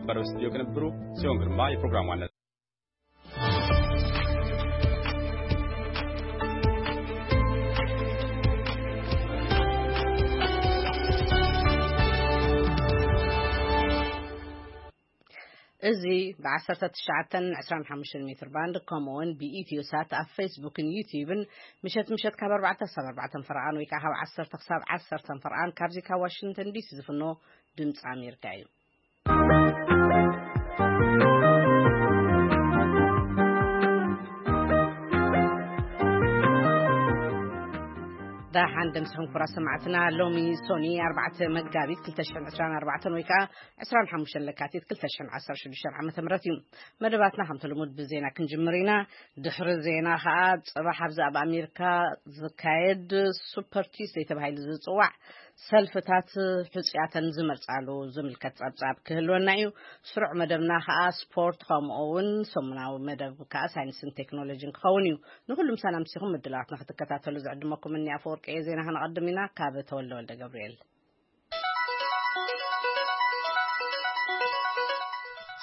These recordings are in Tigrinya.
በረው ስቱዲዮ ቅንብሩ ጽዮን ግርማ የፕሮግራሙ ዋና። እዚ ብ19 25 ሜትር ባንድ፣ ከምኡውን ብኢትዮ ሳት ኣብ ፌስቡክን ዩቲዩብን፣ ምሸት ምሸት ካብ ኣርባዕተ ክሳብ ኣርባዕተ ፈርቓን ወይ ከዓ ካብ ዓሰርተ ክሳብ ዓሰርተ ፈርቓን፣ ካብዚ ካብ ዋሽንግተን ዲሲ ዝፍኖ ድምፂ ኣሜሪካ እዩ። ደሓን ደምስኹም ክቡራት ሰማዕትና። ሎሚ ሶኒ ኣርባዕተ መጋቢት ክልተ ሽሕን ዕስራን ኣርባዕተን ወይ ከዓ ዕስራን ሓሙሽተን ለካቲት ክልተ ሽሕን ዓሰርተ ሽዱሽተን ዓመተ ምህረት እዩ። መደባትና ከምቲ ልሙድ ብዜና ክንጅምር ኢና። ድሕሪ ዜና ከዓ ጽባሕ ኣብዚ ኣብ ኣሜሪካ ዝካየድ ሱፐር ቲዩስደይ ተባሂሉ ዝጽዋዕ ሰልፍታት ሕጹያተን ዝመርጻሉ ዝምልከት ጸብጻብ ክህልወና እዩ። ስሩዕ መደብና ከዓ ስፖርት፣ ከምኡ እውን ሰሙናዊ መደብ ከዓ ሳይንስን ቴክኖሎጂን ክኸውን እዩ። ንኩሉ ምሳና ምሲኹም ምድላዋትና ክትከታተሉ ዝዕድመኩም እኒ ኣፈወርቂ እየ። ዜና ከነቐድም ኢና። ካብ ተወልደ ወልደ ገብርኤል።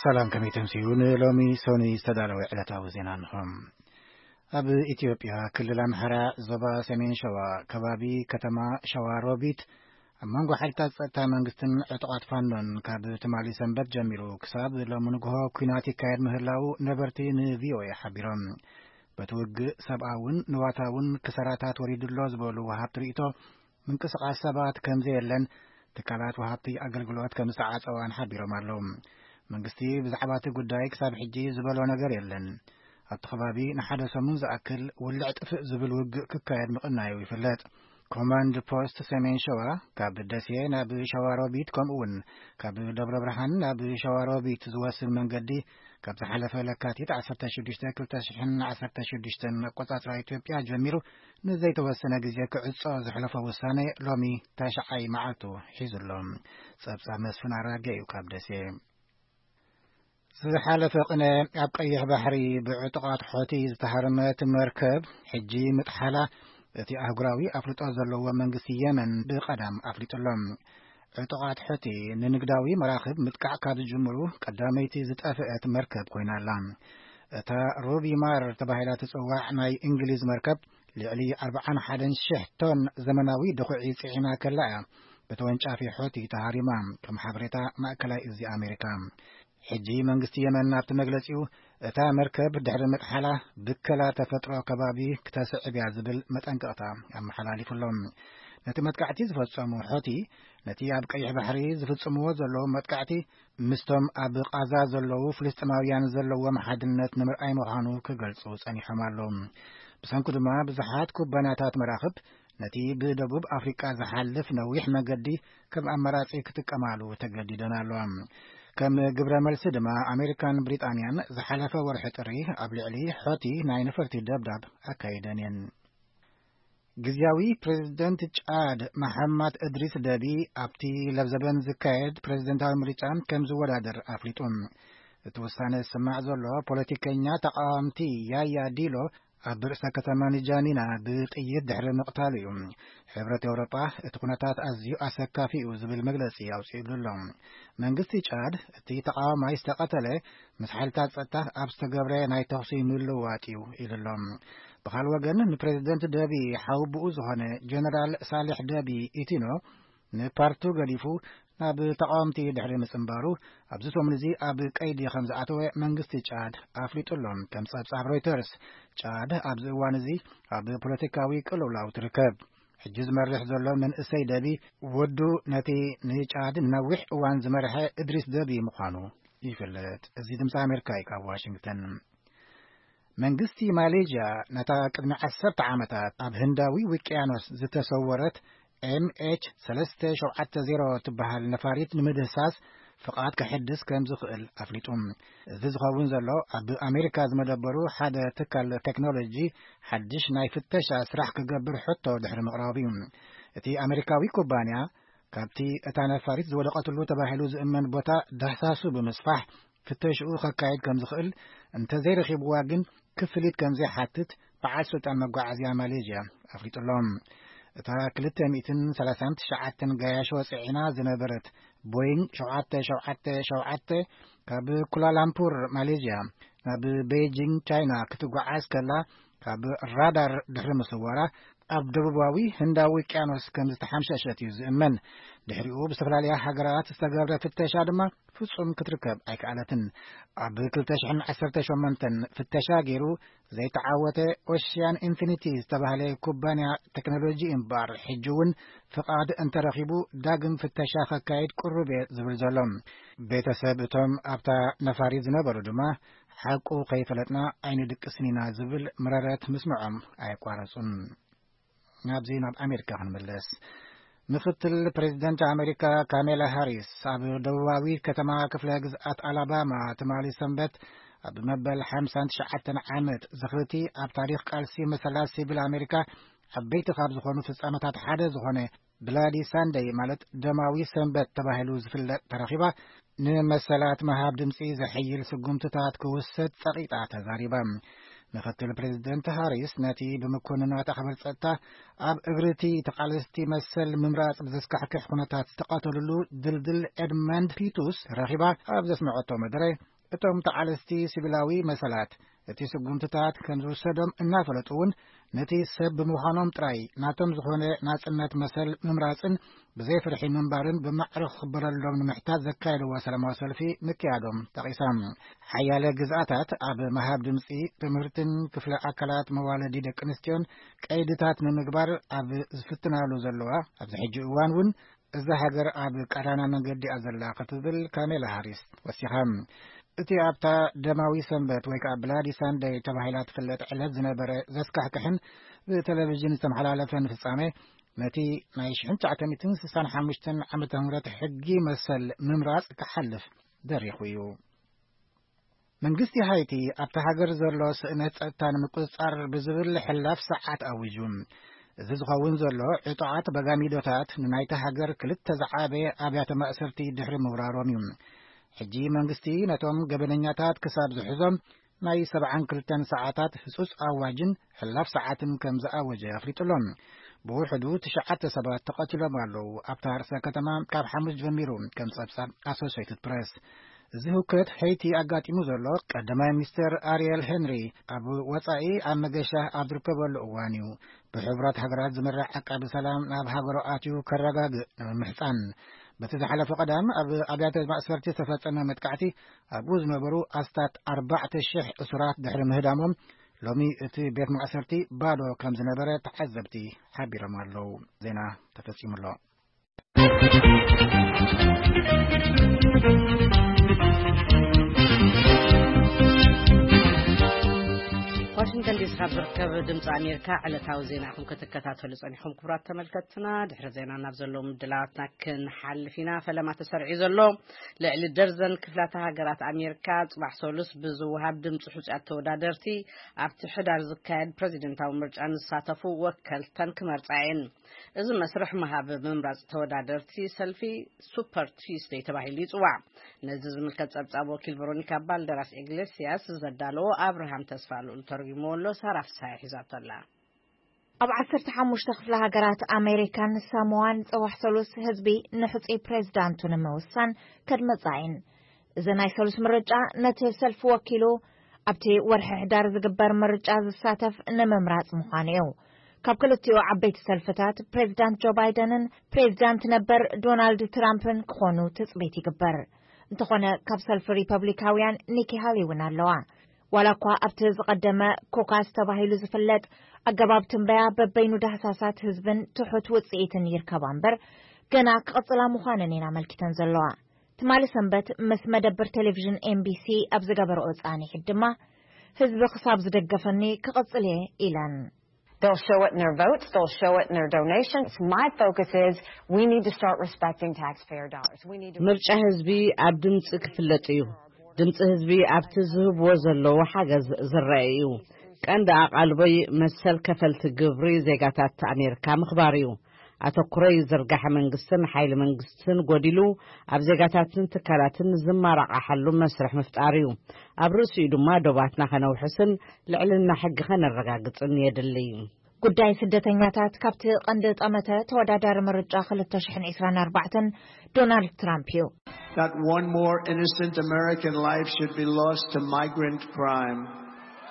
ሰላም፣ ከመይ ተምስዩ? ንሎሚ ሶኒ ዝተዳለወ ዕለታዊ ዜና እንሆ። ኣብ ኢትዮጵያ ክልል ኣምሓራ ዞባ ሰሜን ሸዋ ከባቢ ከተማ ሸዋ ሮቢት ኣብ መንጎ ሓይልታት ጸጥታ መንግስትን ዕጡቓት ፋኖን ካብ ትማሊ ሰንበት ጀሚሩ ክሳብ ሎሚ ንግሆ ኲናት ይካየድ ምህላው ነበርቲ ንቪኦኤ ሓቢሮም። በቲ ውግእ ሰብኣውን ንዋታውን ክሰራታት ወሪዱ ኣሎ ዝበሉ ወሃብቲ ርእይቶ፣ ምንቅስቓስ ሰባት ከም ዘየለን ትካላት ወሃብቲ ኣገልግሎት ከም ዝተዓጸዋን ሓቢሮም ኣለዉ። መንግስቲ ብዛዕባ እቲ ጉዳይ ክሳብ ሕጂ ዝበሎ ነገር የለን። ኣብቲ ከባቢ ንሓደ ሰሙን ዝኣክል ውልዕ ጥፍእ ዝብል ውግእ ክካየድ ምቕናዩ ይፍለጥ። ኮማንድ ፖስት ሰሜን ሸዋ ካብ ደሴ ናብ ሸዋሮቢት፣ ከምኡ እውን ካብ ደብረ ብርሃን ናብ ሸዋሮቢት ዝወስድ መንገዲ ካብ ዝሓለፈ ለካቲት ዓሰርተ ሽዱሽተ ክልተ ሽሕን ዓሰርተ ሽዱሽተን ኣቆጻጽራ ኢትዮጵያ ጀሚሩ ንዘይተወሰነ ግዜ ክዕጾ ዘሕለፎ ውሳነ ሎሚ ታሽዓይ መዓልቱ ሒዙ ኣሎ። ጸብጻብ መስፍን ኣራጌ እዩ ካብ ደሴ። ዝሓለፈ ቅነ ኣብ ቀይሕ ባሕሪ ብዕጡቓት ሖቲ ዝተሃረመት መርከብ ሕጂ ምጥሓላ እቲ ኣህጉራዊ ኣፍልጦ ዘለዎ መንግስቲ የመን ብቐዳም ኣፍሊጡ ኣሎ። ዕጡቓት ሑቲ ንንግዳዊ መራኽብ ምጥቃዕ ካብ ዝጅምሩ ቀዳመይቲ ዝጠፍአት መርከብ ኮይና ኣላ። እታ ሩቢ ማር ተባሂላ ትጽዋዕ ናይ እንግሊዝ መርከብ ልዕሊ ኣርብዓን ሓደን ሽሕ ቶን ዘመናዊ ድኹዒ ጽዒና ከላ እያ ብተወንጫፊ ሑቲ ተሃሪማ፣ ከም ሓበሬታ ማእከላይ እዚ ኣሜሪካ። ሕጂ መንግስቲ የመን ኣብቲ መግለጺኡ፣ እታ መርከብ ድሕሪ ምጥሓላ ብከላ ተፈጥሮ ከባቢ ክተስዕብ እያ ዝብል መጠንቀቕታ ኣመሓላሊፉ ኣሎ። ነቲ መጥቃዕቲ ዝፈጸሙ ሖቲ፣ ነቲ ኣብ ቀይሕ ባሕሪ ዝፍጽምዎ ዘለዉ መጥቃዕቲ ምስቶም ኣብ ቃዛ ዘለዉ ፍልስጥማውያን ዘለዎም ሓድነት ንምርኣይ ምዃኑ ክገልጹ ጸኒሖም ኣለዉ። ብሰንኩ ድማ ብዙሓት ኩባንያታት መራኽብ ነቲ ብደቡብ ኣፍሪቃ ዝሓልፍ ነዊሕ መገዲ ከም ኣማራጺ ክጥቀማሉ ተገዲደን ኣለዋ። ከም ግብረ መልሲ ድማ ኣሜሪካን ብሪጣንያን ዝሓለፈ ወርሒ ጥሪ ኣብ ልዕሊ ሖቲ ናይ ነፈርቲ ደብዳብ ኣካይደን እየን። ግዝያዊ ፕሬዝደንት ጫድ መሓማድ እድሪስ ደቢ ኣብቲ ለብዘበን ዝካየድ ፕሬዝደንታዊ ምርጫ ከም ዝወዳደር ኣፍሊጡ። እቲ ውሳነ ዝስማዕ ዘሎ ፖለቲከኛ ተቃዋምቲ ያያ ዲሎ ኣብ ርእሰ ከተማ ንጃሚና ብጥይት ድሕሪ ምቕታሉ እዩ። ሕብረት ኤውሮጳ እቲ ኩነታት ኣዝዩ ኣሰካፊ እዩ ዝብል መግለጺ ኣውጺእሉ ኣሎ። መንግስቲ ጫድ እቲ ተቃዋማይ ዝተቐተለ ምስ ሓይልታት ጸጥታ ኣብ ዝተገብረ ናይ ተኹሲ ምልውዋጥ እዩ ኢሉ ኣሎ። ብኻል ወገን ንፕሬዝደንት ደቢ ሓውብኡ ዝኾነ ጀነራል ሳልሕ ደቢ ኢቲኖ ንፓርቱ ገዲፉ ናብ ተቃወምቲ ድሕሪ ምጽንባሩ፣ ኣብዚ ሰሙን እዚ ኣብ ቀይዲ ከም ዝኣተወ መንግስቲ ጫድ ኣፍሊጡ ኣሎ። ከም ጸብጻብ ሮይተርስ፣ ጫድ ኣብዚ እዋን እዚ ኣብ ፖለቲካዊ ቅልውላው ትርከብ። ሕጂ ዝመርሕ ዘሎ መንእሰይ ደቢ፣ ወዱ ነቲ ንጫድ ንነዊሕ እዋን ዝመርሐ እድሪስ ደቢ ምዃኑ ይፍለጥ። እዚ ድምፂ ኣሜሪካ እዩ ካብ ዋሽንግተን። መንግስቲ ማሌዥያ ነታ ቅድሚ ዓሰርተ ዓመታት ኣብ ህንዳዊ ውቅያኖስ ዝተሰወረት ኤምኤች ሰለስተ ሸውዓተ ዜሮ ትበሃል ነፋሪት ንምህሳስ ፍቓድ ከሕድስ ከም ዝኽእል ኣፍሊጡ። እዚ ዝኸውን ዘሎ ኣብ ኣሜሪካ ዝመደበሩ ሓደ ትካል ቴክኖሎጂ ሓድሽ ናይ ፍተሻ ስራሕ ክገብር ሕቶ ድሕሪ ምቕራቡ እዩ። እቲ ኣሜሪካዊ ኩባንያ ካብቲ እታ ነፋሪት ዝወደቐትሉ ተባሂሉ ዝእመን ቦታ ዳህሳሱ ብምስፋሕ ፍተሽኡ ከካይድ ከም ዝኽእል፣ እንተዘይረኺብዋ ግን ክፍሊት ከም ዘይሓትት በዓል ስልጣን መጓዓዝያ ማሌዥያ ኣፍሊጡ ኣሎ። እታ ክልተ ሚእትን ሰላሳን ትሽዓተን ገያሾ ጽዒና ዝነበረት ቦይንግ ሸውዓተ ሸውዓተ ሸውዓተ ካብ ኩላላምፑር ማሌዥያ ናብ ቤጂንግ ቻይና ክትጓዓዝ ከላ፣ ካብ ራዳር ድሕሪ ምስዋራ ኣብ ደቡባዊ ህንዳዊ ውቅያኖስ ከም ዝተሓምሸሸት እዩ ዝእመን። ድሕሪኡ ብዝተፈላለያ ሃገራት ዝተገብረ ፍተሻ ድማ ፍጹም ክትርከብ ኣይከኣለትን። ኣብ ክልተ ሽሕን ዓሰርተ ሸሞንተን ፍተሻ ገይሩ ዘይተዓወተ ኦሽያን ኢንፊኒቲ ዝተባህለ ኩባንያ ቴክኖሎጂ እምበኣር፣ ሕጂ እውን ፍቓድ እንተረኺቡ ዳግም ፍተሻ ከካይድ ቅሩብ እየ ዝብል ዘሎ። ቤተሰብ እቶም ኣብታ ነፋሪት ዝነበሩ ድማ፣ ሓቁ ከይፈለጥና ኣይንድቅስን ኢና ዝብል መረረት ምስምዖም ኣየቋረጹን። ናብዚ ናብ ኣሜሪካ ክንምለስ። ምክትል ፕሬዚደንት ኣሜሪካ ካሜላ ሃሪስ ኣብ ደቡባዊ ከተማ ክፍለ ግዝኣት ኣላባማ ትማሊ ሰንበት ኣብ መበል ሓምሳን ትሽዓተን ዓመት ዝኽርቲ ኣብ ታሪኽ ቃልሲ መሰላት ሲቪል ኣሜሪካ ዓበይቲ ካብ ዝኾኑ ፍጻመታት ሓደ ዝኾነ ብላዲ ሳንደይ፣ ማለት ደማዊ ሰንበት ተባሂሉ ዝፍለጥ ተረኺባ፣ ንመሰላት ምሃብ ድምጺ ዘሐይል ስጉምትታት ክውሰድ ጸቒጣ ተዛሪባ። ምክትል ፕሬዚደንት ሃሪስ ነቲ ብምኮንናት ኣኽበር ጸጥታ ኣብ እግርቲ ተቓለስቲ መሰል ምምራጽ ብዘስካሕክሕ ኩነታት ዝተቐተሉሉ ድልድል ኤድመንድ ፒቱስ ተረኺባ ኣብ ዘስመዐቶ መደረ፣ እቶም ተቓለስቲ ሲቪላዊ መሰላት እቲ ስጉምትታት ከም ዝውሰዶም እናፈለጡ እውን፣ ነቲ ሰብ ብምዃኖም ጥራይ ናቶም ዝኾነ ናጽነት መሰል ምምራጽን ብዘይ ፍርሒ ምንባርን ብማዕረ ክኽበረሎም ንምሕታት ዘካየድዎ ሰላማዊ ሰልፊ ምክያዶም ጠቒሳ። ሓያለ ግዝኣታት ኣብ ምሃብ ድምጺ፣ ትምህርትን ክፍለ ኣካላት መዋለዲ ደቂ ኣንስትዮን ቀይድታት ንምግባር ኣብ ዝፍትናሉ ዘለዋ ኣብዚ ሕጂ እዋን እውን፣ እዛ ሃገር ኣብ ቀዳማ መንገዲ እያ ዘላ ክትብል ካሜላ ሃሪስ ወሲኻ። እቲ ኣብታ ደማዊ ሰንበት ወይ ከዓ ብላዲ ሳንደይ ተባሂላ ትፍለጥ ዕለት ዝነበረ ዘስካሕክሕን ብቴሌቪዥን ዝተመሓላለፈን ፍጻሜ፣ ነቲ ናይ ሽሕን ትሽዓተ ሚእትን ስሳን ሓሙሽተን ዓመተ ምህረት ሕጊ መሰል ምምራጽ ክሓልፍ ደሪኹ እዩ። መንግስቲ ሃይቲ ኣብታ ሃገር ዘሎ ስእነት ጸጥታ ንምቁጽጻር ብዝብል ሕላፍ ሰዓት ኣዊጁ። እዚ ዝኸውን ዘሎ ዕጡዓት በጋሚዶታት ንናይታ ሃገር ክልተ ዝዓበየ ኣብያተ ማእሰርቲ ድሕሪ ምውራሮም እዩ። ሕጂ መንግስቲ ነቶም ገበነኛታት ክሳብ ዝሕዞም ናይ ሰብዓን ክልተን ሰዓታት ህጹጽ ኣዋጅን ሕላፍ ሰዓትን ከም ዝኣወጀ ኣፍሊጡ ኣሎ። ብውሕዱ ትሽዓተ ሰባት ተቐቲሎም ኣለዉ። ኣብታ ርእሰ ከተማ ካብ ሓሙስ ጀሚሩ፣ ከም ጸብጻብ ኣሶሴይትድ ፕረስ። እዚ ህውከት ሄይቲ ኣጋጢሙ ዘሎ፣ ቀዳማይ ሚኒስተር ኣርየል ሄንሪ ኣብ ወጻኢ ኣብ መገሻ ኣብ ዝርከበሉ እዋን እዩ። ብሕቡራት ሃገራት ዝምራሕ ዓቃቢ ሰላም ናብ ሃገሩ ኣትዩ ከረጋግእ ንምምሕጻን። በቲ ዝሓለፈ ቀዳም ኣብ ኣብያተ ማእሰርቲ ዝተፈጸመ መጥቃዕቲ ኣብኡ ዝነበሩ ኣስታት ኣርባዕተ ሽሕ እሱራት ድሕሪ ምህዳሞም፣ ሎሚ እቲ ቤት ማእሰርቲ ባዶ ከም ዝነበረ ተዓዘብቲ ሓቢሮም ኣለዉ። ዜና ተፈጺሙ ኣሎ። ዋሽንግተን ዲሲ ካብ ዝርከብ ድምፂ ኣሜሪካ ዕለታዊ ዜና ኢኹም ክትከታተሉ ጸኒኹም። ክቡራት ተመልከትና፣ ድሕሪ ዜና ናብ ዘለዉ ምድላዋትና ክንሓልፍ ኢና። ፈለማ ተሰሪዑ ዘሎ ልዕሊ ደርዘን ክፍላተ ሃገራት ኣሜሪካ ጽባሕ ሰሉስ ብዝወሃብ ድምፂ ሕጹያት ተወዳደርቲ ኣብቲ ሕዳር ዝካየድ ፕረዚደንታዊ ምርጫ ንዝሳተፉ ወከልተን ክመርጻ እየን። እዚ መስርሕ ምሃብ ምምራጽ ተወዳደርቲ ሰልፊ ሱፐር ቱስደይ ተባሂሉ ይጽዋዕ። ነዚ ዝምልከት ጸብጻብ ወኪል ቨሮኒካ ባልደራስ ኢግሌስያስ ዘዳለዎ ኣብርሃም ተስፋ ልኡል ተርጉምዎ ኣሎ። ሳራ ፍስሃ ሒዛቶ ኣላ። ኣብ ዓሰርተ ሓሙሽተ ክፍለ ሃገራት ኣሜሪካን ሳሞዋን ጽባሕ ሰሉስ ህዝቢ ንሕጹይ ፕሬዝዳንቱ ንምውሳን ከድመጻ እየን። እዚ ናይ ሰሉስ ምርጫ ነቲ ሰልፊ ወኪሉ ኣብቲ ወርሒ ሕዳር ዝግበር ምርጫ ዝሳተፍ ንምምራጽ ምዃኑ እዩ። ካብ ክልቲኡ ዓበይቲ ሰልፍታት ፕሬዝዳንት ጆ ባይደንን ፕሬዝዳንት ነበር ዶናልድ ትራምፕን ክኾኑ ትጽቢት ይግበር። እንተኾነ ካብ ሰልፊ ሪፐብሊካውያን ኒኪ ሃሊ እውን ኣለዋ። ዋላ እኳ ኣብቲ ዝቐደመ ኮካስ ተባሂሉ ዝፍለጥ ኣገባብ ትንበያ በበይኑ ዳህሳሳት ህዝብን ትሑት ውጽኢትን ይርከባ እምበር፣ ገና ክቕጽላ ምዃነን እየን ኣመልኪተን ዘለዋ። ትማሊ ሰንበት ምስ መደብር ቴሌቪዥን ኤምቢሲ ኣብ ዝገበረኦ ጻኒሒት ድማ፣ ህዝቢ ክሳብ ዝደገፈኒ ክቕጽል እየ ኢለን። They'll show it in their votes, they'll show it in their donations. My focus is we need to start respecting taxpayer dollars. We need to ምርጫ ህዝቢ ኣብ ድምፂ ክፍለጥ እዩ። ድምፂ ህዝቢ ኣብቲ ዝህብዎ ዘለዉ ሓገዝ ዝረአ እዩ። ቀንዲ ኣቓልቦይ መሰል ከፈልቲ ግብሪ ዜጋታት ኣሜሪካ ምኽባር እዩ። ኣተኩሮይ ዝርጋሐ መንግስትን ሓይሊ መንግስትን ጎዲሉ ኣብ ዜጋታትን ትካላትን ዝመራቓሓሉ መስርሕ ምፍጣር እዩ። ኣብ ርእሲኡ ድማ ዶባትና ከነውሕስን ልዕልና ሕጊ ከነረጋግጽን የድሊ። ጉዳይ ስደተኛታት ካብቲ ቀንዲ ጠመተ ተወዳዳሪ ምርጫ ክልተ ሽሕን ዕስራን ኣርባዕተን ዶናልድ ትራምፕ እዩ። Not one more innocent American life should be lost to migrant crime.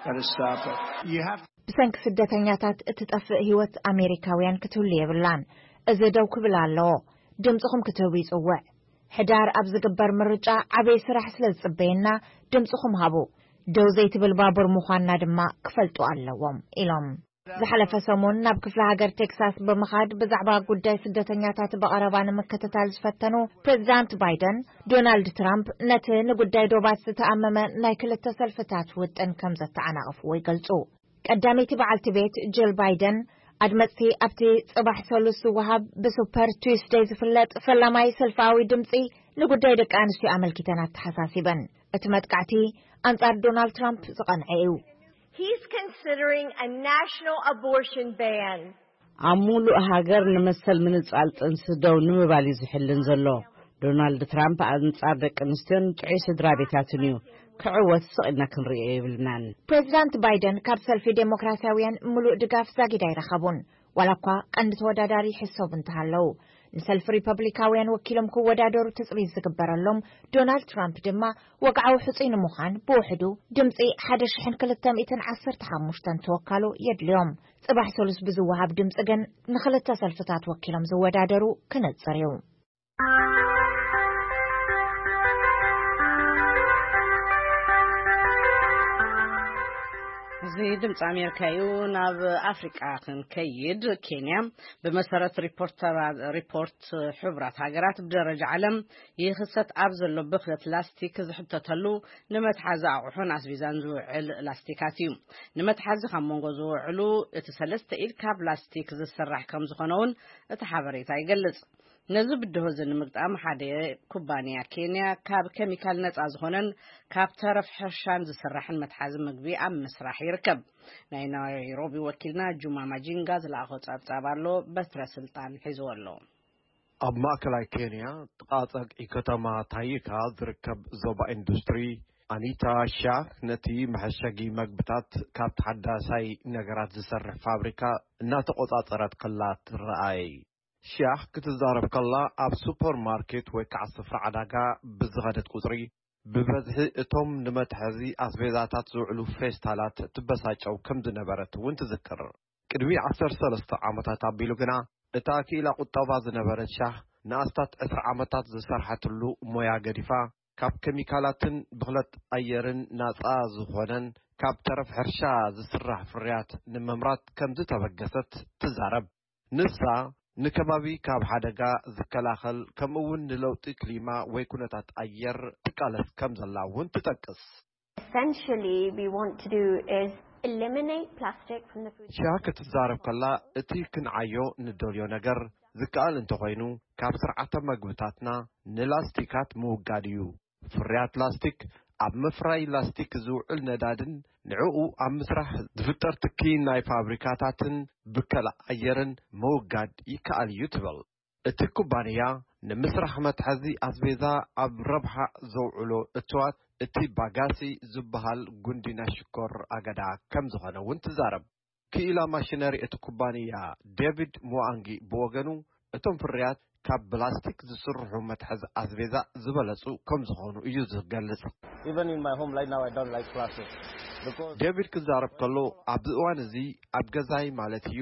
Gotta stop it. You have ብሰንኪ ስደተኛታት እትጠፍእ ህይወት ኣሜሪካውያን ክትህሉ የብላን። እዚ ደው ክብል ኣለዎ። ድምፅኹም ክትህቡ ይፅውዕ። ሕዳር ኣብ ዝግበር ምርጫ ዓበይ ስራሕ ስለ ዝፅበየና ድምፅኹም ሃቡ። ደው ዘይትብል ባቡር ምዃንና ድማ ክፈልጡ ኣለዎም ኢሎም። ዝሓለፈ ሰሙን ናብ ክፍለ ሃገር ቴክሳስ ብምኻድ ብዛዕባ ጉዳይ ስደተኛታት ብቐረባ ንምክትታል ዝፈተኑ ፕሬዚዳንት ባይደን፣ ዶናልድ ትራምፕ ነቲ ንጉዳይ ዶባት ዝተኣመመ ናይ ክልተ ሰልፍታት ውጥን ከም ዘተዓናቐፍዎ ይገልጹ። ቀዳመይቲ በዓልቲ ቤት ጅል ባይደን ኣድመፅቲ ኣብቲ ፅባሕ ሰሉስ ዝወሃብ ብሱፐር ቱስደይ ዝፍለጥ ፈላማይ ሰልፋዊ ድምፂ ንጉዳይ ደቂ ኣንስትዮ ኣመልኪተን ኣተሓሳሲበን። እቲ መጥቃዕቲ ኣንጻር ዶናልድ ትራምፕ ዝቐንዐ እዩ። He's considering a national abortion ban. ኣብ ሙሉእ ሃገር ንመሰል ምንጻል ጥንሲ ደው ንምባል እዩ ዝሕልን ዘሎ። ዶናልድ ትራምፕ ኣንጻር ደቂ ኣንስትዮን ጥዑይ ስድራ ቤታትን እዩ። ክዕወት ስቕ ኢልና ክንርእዮ የብልናን። ፕሬዚዳንት ባይደን ካብ ሰልፊ ዴሞክራሲያውያን ሙሉእ ድጋፍ ዛጊድ ኣይረኸቡን፣ ዋላ እኳ ቀንዲ ተወዳዳሪ ይሕሰቡ እንተሃለዉ። ንሰልፊ ሪፐብሊካውያን ወኪሎም ክወዳደሩ ትጽቢት ዝግበረሎም ዶናልድ ትራምፕ ድማ ወግዓዊ ሕጹይ ንምዃን ብውሕዱ ድምጺ ሓደ ሽሕን ክልተ ሚእትን ዓሰርተ ሓሙሽተን ተወካሉ የድልዮም። ጽባሕ ሰሉስ ብዝወሃብ ድምጺ ግን ንኽልተ ሰልፍታት ወኪሎም ዝወዳደሩ ክነጽር እዩ። እዚ ድምፂ ኣሜሪካ እዩ። ናብ ኣፍሪቃ ክንከይድ፣ ኬንያ ብመሰረት ሪፖርተራ- ሪፖርት ሕቡራት ሃገራት ብደረጃ ዓለም ይኽሰት ኣብ ዘሎ ብኽለት ላስቲክ ዝሕተተሉ ንመትሓዚ ኣቑሑን ኣስቤዛን ዝውዕል ላስቲካት እዩ። ንመትሓዚ ካብ መንጎ ዝውዕሉ እቲ ሰለስተ ኢድ ካብ ላስቲክ ዝስራሕ ከም ዝኾነ እውን እቲ ሓበሬታ ይገልጽ። ነዚ ብድሆ እዚ ንምግጣም ሓደ ኩባንያ ኬንያ ካብ ኬሚካል ነጻ ዝኾነን ካብ ተረፍ ሕርሻን ዝስራሕን መትሓዚ ምግቢ ኣብ ምስራሕ ይርከብ። ናይ ናይሮቢ ወኪልና ጁማ ማጂንጋ ዝለኣኾ ጸብጻብ ኣሎ። በትረ ስልጣን ሒዝዎ ኣሎ። ኣብ ማእከላይ ኬንያ ጥቓ ጸግዒ ከተማ ታይካ ዝርከብ ዞባ ኢንዱስትሪ ኣኒታ ሻህ ነቲ መሐሸጊ መግብታት ካብ ተሓዳሳይ ነገራት ዝሰርሕ ፋብሪካ እናተቖጻጸረት ከላ ትረኣይ። ሻህ ክትዛረብ ከላ ኣብ ሱፐርማርኬት ወይ ከዓ ስፍራ ዕዳጋ ብዝኸደት ቁጽሪ ብበዝሒ እቶም ንመትሐዚ ኣስቤዛታት ዝውዕሉ ፌስታላት ትበሳጨው ከም ዝነበረት እውን ትዝክር። ቅድሚ ዓሰርተ ሰለስተ ዓመታት ኣቢሉ ግና እታ ክኢላ ቁጠባ ዝነበረት ሻህ ንኣስታት ዕስራ ዓመታት ዝሰርሐትሉ ሞያ ገዲፋ ካብ ኬሚካላትን ብኽለት ኣየርን ናጻ ዝኾነን ካብ ተረፍ ሕርሻ ዝስራሕ ፍርያት ንምምራት ከም ዝተበገሰት ትዛረብ። ንሳ ንከባቢ ካብ ሓደጋ ዝከላኸል ከምኡ እውን ንለውጢ ክሊማ ወይ ኩነታት ኣየር ትቃለስ ከም ዘላ እውን ትጠቅስ። Essentially, we want to do is eliminate plastic from the food. ሻ ክትዛረብ ከላ እቲ ክንዓዮ ንደልዮ ነገር ዝከኣል እንተኾይኑ ካብ ስርዓተ መግብታትና ንላስቲካት ምውጋድ እዩ። ፍርያት ላስቲክ ኣብ ምፍራይ ላስቲክ ዝውዕል ነዳድን ንዕኡ ኣብ ምስራሕ ዝፍጠር ትኪ ናይ ፋብሪካታትን ብከላ ኣየርን ምውጋድ ይከኣል እዩ ትብል። እቲ ኩባንያ ንምስራሕ መትሐዚ ኣስቤዛ ኣብ ረብሓ ዘውዕሎ እትዋት እቲ ባጋሲ ዝበሃል ጉንዲ ናይ ሽኮር ኣገዳ ከም ዝኾነ እውን ትዛረብ። ክኢላ ማሽነሪ እቲ ኩባንያ ዴቪድ ሙዋንጊ ብወገኑ እቶም ፍርያት ካብ ብላስቲክ ዝስርሑ መትሐዚ ኣስቤዛ ዝበለጹ ከም ዝኾኑ እዩ ዝገልጽ። Even in my home right now, I don't like plastic. ዴቪድ ክዛረብ ከሎ ኣብዚ እዋን እዚ ኣብ ገዛይ ማለት እዩ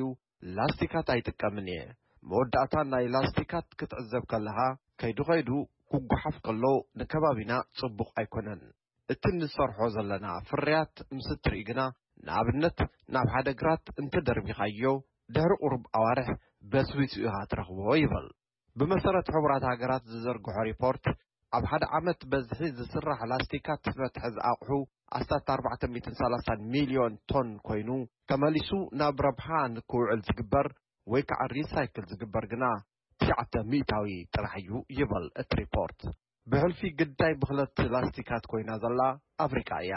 ላስቲካት ኣይጥቀምን እየ። መወዳእታ ናይ ላስቲካት ክትዕዘብ ከለኻ ከይዱ ከይዱ ክጓሓፍ ከሎ ንከባቢና ጽቡቕ ኣይኮነን። እቲ እንሰርሖ ዘለና ፍርያት ምስ እትርኢ ግና ንኣብነት ናብ ሓደ ግራት እንተደርቢኻዮ ድሕሪ ቁሩብ ኣዋርሕ በስቢሱ ኢኻ ትረኽቦ ይብል። ብመሰረት ሕቡራት ሃገራት ዝዘርግሖ ሪፖርት ኣብ ሓደ ዓመት በዝሒ ዝስራሕ ላስቲካት መትሐዚ ኣቑሑ ኣስታት ኣርባዕተ ሚእትን ሰላሳን ሚልዮን ቶን ኮይኑ ተመሊሱ ናብ ረብሓ ንክውዕል ዝግበር ወይ ከዓ ሪሳይክል ዝግበር ግና ትሽዓተ ሚእታዊ ጥራሕ እዩ ይብል እቲ ሪፖርት። ብሕልፊ ግዳይ ብኽለት ላስቲካት ኮይና ዘላ ኣፍሪቃ እያ።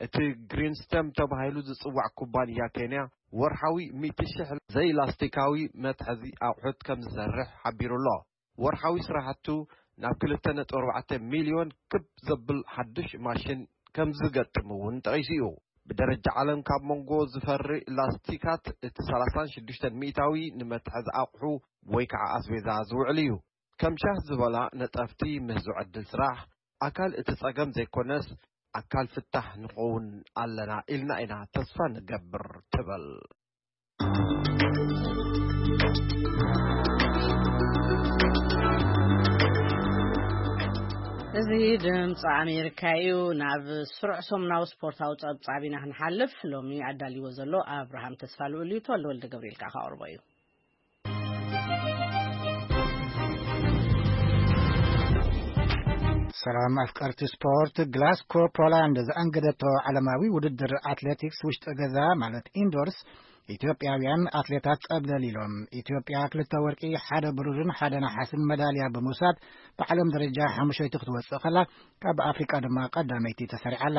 እቲ ግሪንስተም ተባሂሉ ዝጽዋዕ ኩባንያ ኬንያ ወርሓዊ ሚእቲ ሽሕ ዘይላስቲካዊ መትሐዚ ኣቑሑት ከም ዝሰርሕ ሓቢሩ ኣሎ። ወርሓዊ ስራሕቱ ናብ ክልተ ነጥቢ ኣርባዕተ ሚልዮን ክብ ዘብል ሓድሽ ማሽን ከም ዝገጥም እውን ጠቒሱ እዩ። ብደረጃ ዓለም ካብ መንጎ ዝፈሪ ላስቲካት እቲ ሰላሳን ሽዱሽተን ሚእታዊ ንመትሓዚ ኣቑሑ ወይ ከዓ ኣስቤዛ ዝውዕል እዩ። ከም ሻህ ዝበላ ነጠፍቲ፣ ምህዞ ዕድል ስራሕ ኣካል እቲ ጸገም ዘይኮነስ ኣካል ፍታሕ ንኸውን ኣለና ኢልና ኢና ተስፋ ንገብር ትብል። እዚ ድምፂ ኣሜሪካ እዩ። ናብ ስሩዕ ሰሙናዊ ስፖርታዊ ፀብፃብ ኢና ክንሓልፍ። ሎሚ ኣዳልዎ ዘሎ ኣብርሃም ተስፋ ልኡል እዩ። ተወልደ ወልደ ገብርኤል ከዓ ከቕርቦ እዩ። ሰላም ኣፍቀርቲ ስፖርት። ግላስኮ ፖላንድ ዘኣንገደቶ ዓለማዊ ውድድር ኣትሌቲክስ ውሽጢ ገዛ ማለት ኢንዶርስ ኢትዮጵያውያን ኣትሌታት ጸብለል ኢሎም። ኢትዮጵያ ክልተ ወርቂ፣ ሓደ ብሩርን ሓደ ነሓስን መዳልያ ብምውሳድ ብዓለም ደረጃ ሓሙሸይቲ ክትወጽእ ከላ፣ ካብ ኣፍሪቃ ድማ ቀዳመይቲ ተሰሪዓላ።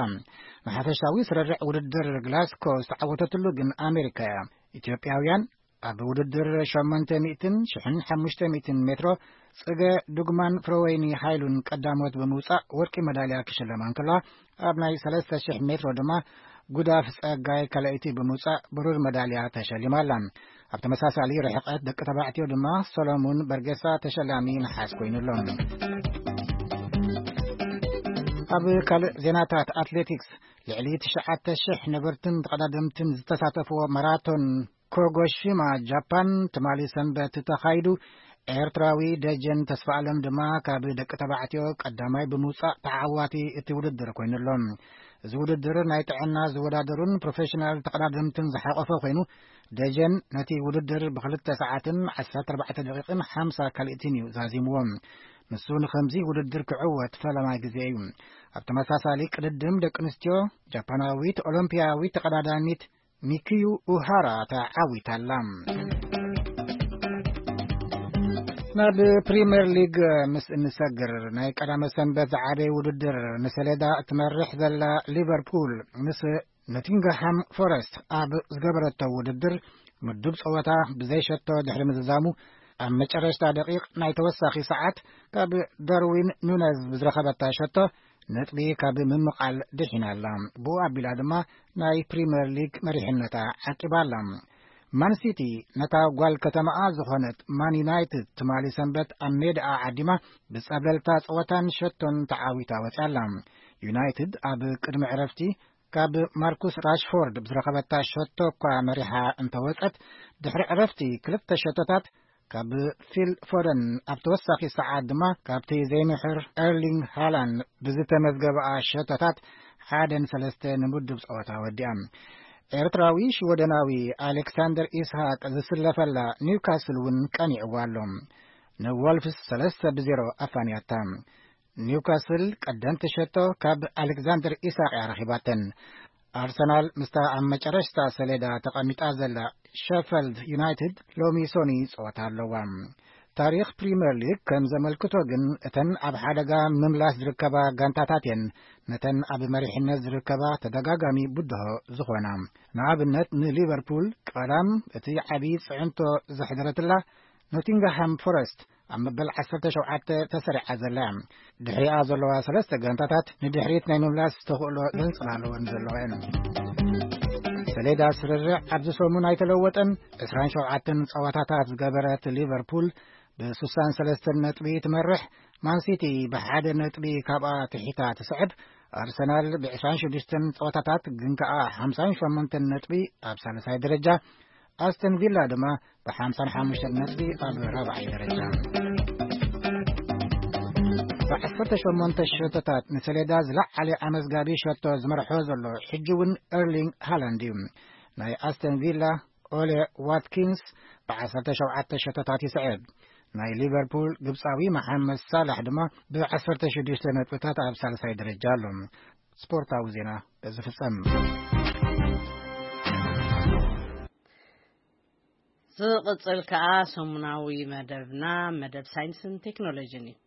ንሓፈሻዊ ስርርዕ ውድድር ግላስኮ ዝተዓወተትሉ ግን ኣሜሪካ እያ። ኢትዮጵያውያን ኣብ ውድድር ሸሞንተ ሚእትን ሽሕን ሓሙሽተ ሚእትን ሜትሮ ጽገ ዱግማን ፍረወይኒ ሃይሉን ቀዳሞት ብምውጻእ ወርቂ መዳልያ ክሽለማ እንከለዋ፣ ኣብ ናይ ሰለስተ ሽሕ ሜትሮ ድማ ጉዳፍ ጸጋይ ካልኣይቲ ብምውጻእ ብሩር መዳልያ ተሸሊማ ኣላ። ኣብ ተመሳሳሊ ርሕቀት ደቂ ተባዕትዮ ድማ ሰሎሙን በርጌሳ ተሸላሚ ነሓስ ኮይኑ ኣሎ። ኣብ ካልእ ዜናታት ኣትሌቲክስ፣ ልዕሊ ትሽዓተ ሽሕ ነበርትን ተቐዳደምትን ዝተሳተፍዎ ማራቶን ኮጎሺማ ጃፓን ትማሊ ሰንበት ተኻይዱ፣ ኤርትራዊ ደጀን ተስፋኣለም ድማ ካብ ደቂ ተባዕትዮ ቀዳማይ ብምውጻእ ተዓዋቲ እቲ ውድድር ኮይኑ ኣሎ። እዚ ውድድር ናይ ጥዕና ዝወዳደሩን ፕሮፌሽናል ተቐዳደምትን ዝሓቆፈ ኮይኑ፣ ደጀን ነቲ ውድድር ብክልተ ሰዓትን ዓሰርተ ኣርባዕተ ደቂቕን ሓምሳ ካልእትን እዩ ዛዚምዎ። ንሱ ንኸምዚ ውድድር ክዕወት ፈለማይ ግዜ እዩ። ኣብ ተመሳሳሊ ቅድድም ደቂ ኣንስትዮ፣ ጃፓናዊት ኦሎምፒያዊት ተቐዳዳሚት ሚኪዩ ኡሃራ ተዓዊታ ኣላ። ናብ ፕሪምየር ሊግ ምስ እንሰግር፣ ናይ ቀዳመ ሰንበት ዝዓበየ ውድድር ንሰሌዳ እትመርሕ ዘላ ሊቨርፑል ምስ ኖቲንግሃም ፎረስት ኣብ ዝገበረቶ ውድድር ምዱብ ጸወታ ብዘይ ሸቶ ድሕሪ ምዝዛሙ፣ ኣብ መጨረሽታ ደቂቕ ናይ ተወሳኺ ሰዓት ካብ ዳርዊን ኑነዝ ብዝረኸበታ ሸቶ ነጥቢ ካብ ምምቓል ድሒና ኣላ። ብኡ ኣቢላ ድማ ናይ ፕሪምየር ሊግ መሪሕነታ ዓቂባ ኣላ። ማን ሲቲ ነታ ጓል ከተማኣ ዝኾነት ማን ዩናይትድ ትማሊ ሰንበት ኣብ ሜዳኣ ዓዲማ ብጸብለልታ ጸወታን ሸቶን ተዓዊታ ወጺኣ ኣላ። ዩናይትድ ኣብ ቅድሚ ዕረፍቲ ካብ ማርኩስ ራሽፎርድ ብዝረኸበታ ሸቶ እኳ መሪሓ እንተወጸት፣ ድሕሪ ዕረፍቲ ክልተ ሸቶታት ካብ ፊል ፎደን፣ ኣብ ተወሳኺ ሰዓት ድማ ካብቲ ዘይምሕር ኤርሊንግ ሃላንድ ብዝተመዝገበኣ ሸቶታት ሓደን ሰለስተ ንምድብ ጸወታ ወዲኣ። ኤርትራዊ ሽወደናዊ ኣሌክሳንደር ኢስሃቅ ዝስለፈላ ኒውካስል እውን ቀኒዕዋ ኣሎ። ንወልፍስ ሰለስተ ብዜሮ ኣፋንያታ። ኒውካስል ቀደምቲ ሸቶ ካብ ኣሌክዛንደር ኢሳቅ እያ ረኺባተን። ኣርሰናል ምስታ ኣብ መጨረሽታ ሰሌዳ ተቐሚጣ ዘላ ሸፈልድ ዩናይትድ ሎሚ ሶኒ ጸወታ ኣለዋ። ታሪኽ ፕሪምየር ሊግ ከም ዘመልክቶ ግን፣ እተን ኣብ ሓደጋ ምምላስ ዝርከባ ጋንታታት እየን ነተን ኣብ መሪሕነት ዝርከባ ተደጋጋሚ ብድሆ ዝኾና። ንኣብነት ንሊቨርፑል ቀዳም እቲ ዓቢ ጽዕንቶ ዘሕደረትላ ኖቲንግሃም ፎረስት ኣብ መበል ዓሰርተ ሸውዓተ ተሰሪዓ ዘላ። ድሕሪኣ ዘለዋ ሰለስተ ጋንታታት ንድሕሪት ናይ ምምላስ ተኽእሎ ዘንጸላለወን ዘለዋ እየን። ሰሌዳ ስርርዕ ኣብዚ ሰሙን ኣይተለወጠን። ዕስራን ሸውዓተን ጸወታታት ዝገበረት ሊቨርፑል ብስሳን ሰለስተን ነጥቢ ትመርሕ። ማንሲቲ ብሓደ ነጥቢ ካብኣ ትሒታ ትስዕብ። ኣርሰናል ብዕስራን ሽዱሽተን ጸወታታት ግን ከኣ ሓምሳን ሸሞንተን ነጥቢ ኣብ ሳልሳይ ደረጃ፣ ኣስተን ቪላ ድማ ብሓምሳን ሓሙሽተን ነጥቢ ኣብ ራብዓይ ደረጃ። ብዓሰርተ ሸሞንተ ሸቶታት ንሰሌዳ ዝለዓለ ኣመዝጋቢ ሸቶ ዝመርሖ ዘሎ ሕጂ እውን ኤርሊንግ ሃላንድ እዩ። ናይ ኣስተን ቪላ ኦሌ ዋትኪንስ ብዓሰርተ ሸውዓተ ሸቶታት ይስዕብ። ናይ ሊቨርፑል ግብጻዊ መሓመድ ሳላሕ ድማ ብዓሰርተ ሽዱሽተ ነጥብታት ኣብ ሳልሳይ ደረጃ ኣሎ። ስፖርታዊ ዜና በዚ ፍጸም። ዝቕጽል ከኣ ሰሙናዊ መደብና፣ መደብ ሳይንስን ቴክኖሎጂን እዩ።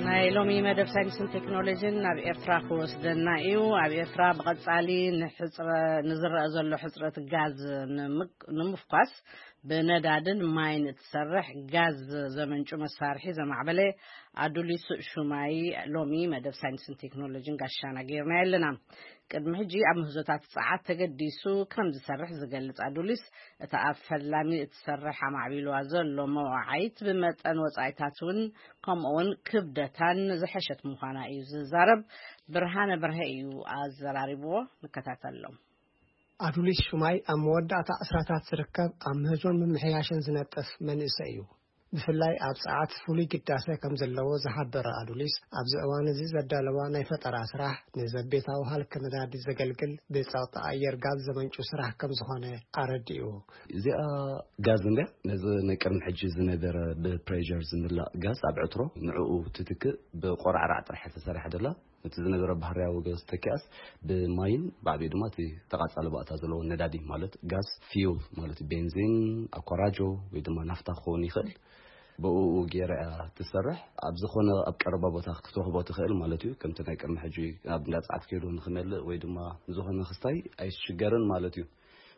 ናይ ሎሚ መደብ ሳይንስን ቴክኖሎጂን ናብ ኤርትራ ክወስደና እዩ። ኣብ ኤርትራ ብቐጻሊ ንሕጽረ-፣ ንዝረአ ዘሎ ሕጽረት ጋዝ ንምክ-፣ ንምፍኳስ ብነዳድን ማይን እትሰርሕ ጋዝ ዘመንጩ መሳርሒ ዘማዕበለ ኣዱሊስ ሹማይ ሎሚ መደብ ሳይንስን ቴክኖሎጂን ጋሻና ገይርና ኣለና። ቅድሚ ሕጂ ኣብ ምህዞታት ጸዓት ተገዲሱ ከም ዝሰርሕ ዝገልጽ ኣዱሊስ፣ እታ ኣብ ፈላሚ እትሰርሕ ኣማዕቢልዋ ዘሎ መዋዓይት ብመጠን ወጻኢታት እውን ከምኡውን ክብደታን ዝሐሸት ምዃና እዩ ዝዛረብ። ብርሃነ ብርሀ እዩ ኣዘራሪብዎ። ንከታተሎም። ኣዱሊስ ሹማይ ኣብ መወዳእታ ዕስራታት ዝርከብ ኣብ ምህዞን ምምሕያሽን ዝነጥፍ መንእሰይ እዩ። ብፍላይ ኣብ ጸዓት ፍሉይ ግዳሰ ከም ዘለዎ ዝሓበረ ኣዱሊስ፣ ኣብዚ እዋን እዚ ዘዳለዋ ናይ ፈጠራ ስራሕ ንዘቤታዊ ሃልኪ ነዳዲ ዘገልግል ብጸቕጢ ኣየር ጋዝ ዘመንጩ ስራሕ ከም ዝኾነ ኣረዲኡ። እዚኣ ጋዝ እንድያ፣ ነዚ ናይ ቅድሚ ሕጂ ዝነበረ ብፕሬር ዝምላእ ጋዝ ኣብ ዕትሮ፣ ንዕኡ ትትክእ ብቆራዕራዕ ጥራሕ ተሰሪሓ ደላ። እቲ ዝነበረ ባህርያዊ ጋዝ ተኪኣስ ብማይን ብዓቢኡ ድማ እቲ ተቓጻሊ ባእታ ዘለዎ ነዳዲ ማለት ጋዝ ፊውል ማለት ቤንዚን፣ ኣኳራጆ ወይ ድማ ናፍታ ክኸውን ይኽእል። ብኡ ገይራ እያ ትሰርሕ። ኣብ ዝኾነ ኣብ ቀረባ ቦታ ክትረኽቦ ትኽእል ማለት እዩ። ከምቲ ናይ ቅድሚ ሕጂ ኣብ እንዳ ጸዓት ከይዱ ንኽመልእ ወይ ድማ ዝኾነ ክስታይ ኣይስሽገርን ማለት እዩ።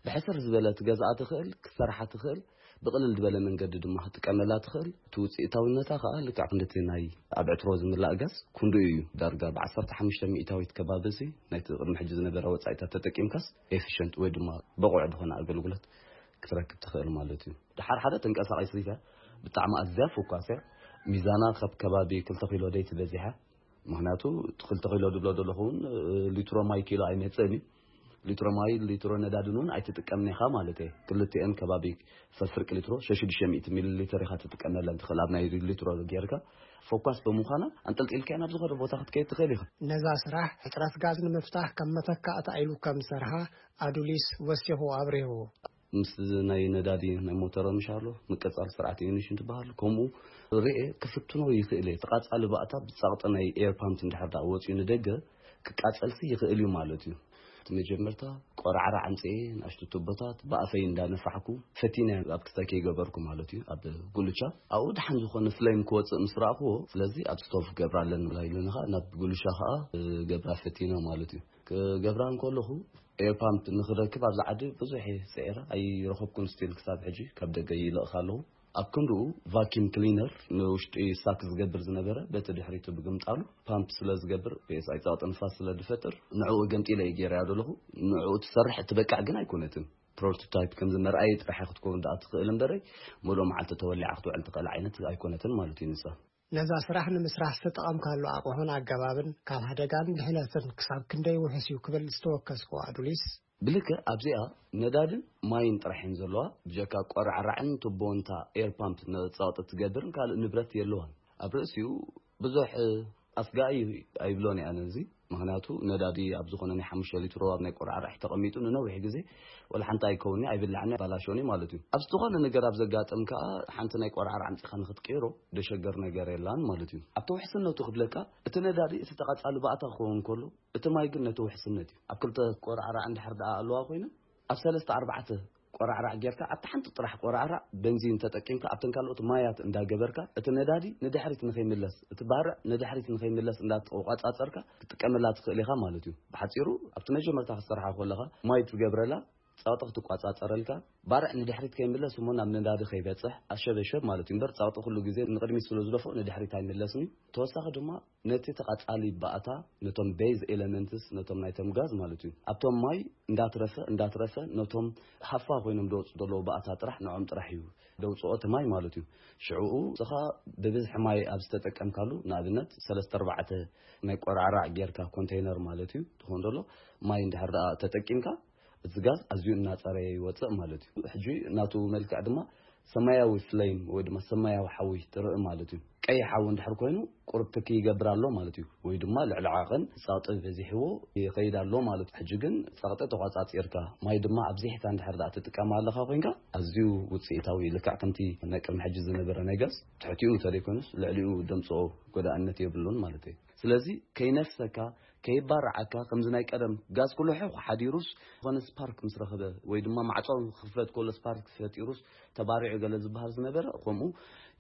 ብሕስር ዝበለ ትገዝኣ ትኽእል፣ ክትሰርሓ ትኽእል፣ ብቕልል ዝበለ መንገዲ ድማ ክትጥቀመላ ትኽእል። እቲ ውፅኢታዊነታ ከዓ ልክዕ ክንድቲ ናይ ኣብ ዕትሮ ዝምላእ ጋዝ ክንድኡ እዩ። ዳርጋ ብዓሰርተ ሓሙሽተ ሚእታዊት ከባቢ እዚ ናይቲ ቅድሚ ሕጂ ዝነበረ ወፃኢታት ተጠቂምካስ ኤፊሽንት ወይ ድማ ብቑዕ ዝኾነ ኣገልግሎት ክትረክብ ትኽእል ማለት እዩ። ድሓር ሓደ ተንቀሳቒሲት እያ፣ ብጣዕሚ ኣዝያ ፎካስ እያ። ሚዛና ካብ ከባቢ ክልተ ኪሎ ደይ ትበዚሓ። ምኽንያቱ እቲ ክልተ ኪሎ ድብሎ ዘለኹ እውን፣ እ፣ ሊትሮ ማይ ኪሎ ኣይመጽእን እዩ። ሊትሮ ማይ፣ ሊትሮ ነዳድን እውን ኣይትጥቀምን ኢኻ ማለት እየ። ክልቲኤን ከባቢ ፈፍርቂ ሊትሮ፣ ሸሽዱሽተ ሚእቲ ሚሊ ሊትር ኢኻ ትጥቀመለን ትኽእል። ኣብ ናይ ሊትሮ ጌርካ ፎካስ ብምዃና ኣንጠልጢልካያ ናብ ዝኾነ ቦታ ክትከይድ ትኽእል ኢኻ። ነዛ ስራሕ ሕጽረት ጋዝ ንምፍታሕ ከም መተካእታ ኢሉ ከም ዝሰርሓ ኣዱሊስ ወሲኹ ኣብሪሁ። ምስ ናይ ነዳዲ ናይ ሞተር ምሻሎ ምቅጻል ስርዓት ኢግኒሽን ትበሃል። ከምኡ ርኤ ክፍትኖ ይኽእል እየ። ተቃጻሊ ባእታ ብጻቕጢ ናይ ኤር ፓምፕ እንድሕር ደኣ ወጺኡ ንደገ ክቃጸልሲ ይኽእል እዩ ማለት እዩ። እቲ መጀመርታ ቆራዕራዕ ኣምጽኤ ንኣሽቱ ቱቦታት ብኣፈይ እንዳነፋሕኩ ፈቲነ ኣብ ክስታይ ከይገበርኩ ማለት እዩ። ኣብ ጉልቻ ኣብኡ ደሓን ዝኾነ ፍሌም ክወጽእ ምስ ረኣኽዎ፣ ስለዚ ኣብ ስቶቭ ገብራ ኣለና ኢሉኒ ኸኣ ናብ ጉልቻ ኸኣ ገብራ ፈቲነ ማለት እዩ። ክገብራ እንከለኹ ኤር ፓምፕ ንኽረክብ ኣብዚ ዓዲ ብዙሕ እየ ስዒረ ኣይረኸብኩን። ስቲል ክሳብ ሕጂ ካብ ደገ ይልእኽ ኣለኹ። ኣብ ክንድኡ ቫኪም ክሊነር ንውሽጢ ሳክ ዝገብር ዝነበረ በቲ ድሕሪቱ ብግምጣሉ ፓምፕ ስለ ዝገብር ፒኤስኣይ ጸቕጢ ንፋስ ስለ ዝፈጥር ንዕኡ ገምጢለ እየ ገይረያ ዘለኹ። ንዕኡ ትሰርሕ እትበቅዕ ግን ኣይኮነትን። ፕሮቶታይፕ ከም ዝመርኣየ ጥራሕ ክትከውን ደኣ ትኽእል እምበረይ፣ ሙሉእ መዓልቲ ተወሊዓ ክትውዕል ትኽእል ዓይነት ኣይኮነትን ማለት እዩ ንሳ። ነዛ ስራሕ ንምስራሕ ዝተጠቐምካሉ ኣቕሑን ኣገባብን ካብ ሓደጋን ድሕነትን ክሳብ ክንደይ ውሑስ እዩ ክብል ዝተወከስኩ ኣዱሊስ፣ ብልክዕ ኣብዚኣ ነዳድን ማይን ጥራሕ እየን ዘለዋ። ብጀካ ቆራዕራዕን ቱቦን እታ ኤር ፓምፕ ንጸቕጢ ትገብርን ካልእ ንብረት የለዋን። ኣብ ርእሲኡ ብዙሕ ኣስጋኢ ኣይብሎን እየ ኣነ እዚ። ምኽንያቱ ነዳዲ ኣብ ዝኾነ ናይ ሓሙሽተ ሊትሮ ኣብ ናይ ቆራዕራዕ ተቐሚጡ ንነዊሕ ግዜ ወላ ሓንቲ ኣይከውን'ዩ፣ ኣይብላዕን፣ ኣይባላሾን እዩ ማለት እዩ። ኣብ ዝኾነ ነገር ኣብ ዘጋጥም ከኣ ሓንቲ ናይ ቆራዕራዕ ኣምጺኻ ንኽትቅይሮ ደሸገር ነገር የላን ማለት እዩ። ኣብቲ ውሕስነቱ ክብለካ፣ እቲ ነዳዲ እቲ ተቐጻሊ ባእታ ክኸውን ከሎ፣ እቲ ማይ ግን ነቲ ውሕስነት እዩ። ኣብ ክልተ ቆራዕራዕ እንድሕር ደኣ ኣለዋ ኮይነን፣ ኣብ ሰለስተ ኣርባዕተ ቆራዕራዕ ጌርካ ኣብቲ ሓንቲ ጥራሕ ቆራዕራዕ ቤንዚን ተጠቂምካ ኣብተን ካልኦት ማያት እንዳገበርካ እቲ ነዳዲ ንድሕሪት ንኸይምለስ፣ እቲ ባርዕ ንድሕሪት ንኸይምለስ እንዳተቆጻጸርካ ክትጥቀመላ ትኽእል ኢኻ ማለት እዩ። ብሓጺሩ ኣብቲ መጀመርታ ክትሰርሓ ከለኻ ማይ ትገብረላ፣ ጸቕጢ ክትቆጻጸረልካ፣ ባርዕ ንድሕሪት ከይምለስ እሞ ናብ ነዳዲ ከይበጽሕ ኣሸበሸብ ማለት እዩ። እምበር ጸቕጢ ኩሉ ግዜ ንቕድሚት ስለ ዝደፍኦ ንድሕሪት ኣይምለስን እዩ። ተወሳኺ ድማ ነቲ ተቓጻሊ ባእታ፣ ነቶም ቤዝ ኤለመንትስ፣ ነቶም ናይቶም ጋዝ ማለት እዩ፣ ኣብቶም ማይ እንዳትረፈ፣ እንዳትረፈ፣ ነቶም ሃፋ ኮይኖም ደወጽ ዘለዉ ባእታ ጥራሕ፣ ንዖም ጥራሕ እዩ ደውጽኦ እቲ ማይ ማለት እዩ። ሽዑኡ ንስኻ ብብዝሒ ማይ ኣብ ዝተጠቀምካሉ፣ ንኣብነት ሰለስተ ኣርባዕተ ናይ ቆራዕራዕ ጌርካ ኮንቴይነር ማለት እዩ፣ ትኾን ዘሎ ማይ እንድሕር ደኣ ተጠቂምካ፣ እቲ ጋዝ ኣዝዩ እናጸረየ ይወጽእ ማለት እዩ። ሕጂ ናቱ መልክዕ ድማ ሰማያዊ ፍሌም ወይ ድማ ሰማያዊ ሓዊ ትርኢ ማለት እዩ። ቀይሕ ሓዊ እንድሕር ኮይኑ ቁሩብ ትኪ ይገብር ኣሎ ማለት እዩ። ወይ ድማ ልዕሊ ዓቐን ጸቕጢ በዚሕዎ ይኸይድ ኣሎ ማለት እዩ። ሕጂ ግን ጸቕጢ ተቋጻጺርካ፣ ማይ ድማ ኣብዚሕካ እንድሕር ደኣ ትጥቀም ኣለኻ ኮይንካ፣ ኣዝዩ ውጽኢታዊ እዩ። ልክዕ ከምቲ ናይ ቅድሚ ሕጂ ዝነበረ ናይ ጋዝ ትሕቲኡ እንተዘይኮይኑስ ልዕሊኡ ደምጽኦ ጎዳእነት የብሉን ማለት እዩ። ስለዚ ከይነፍሰካ፣ ከይባርዓካ ከምዚ ናይ ቀደም ጋዝ ኩሉ ሕኽ ሓዲሩስ፣ ዝኾነ ስፓርክ ምስ ረኸበ ወይ ድማ ማዕጾ ክኽፈት ከሎ ስፓርክ ፈጢሩስ ተባሪዑ ገለ ዝበሃል ዝነበረ ከምኡ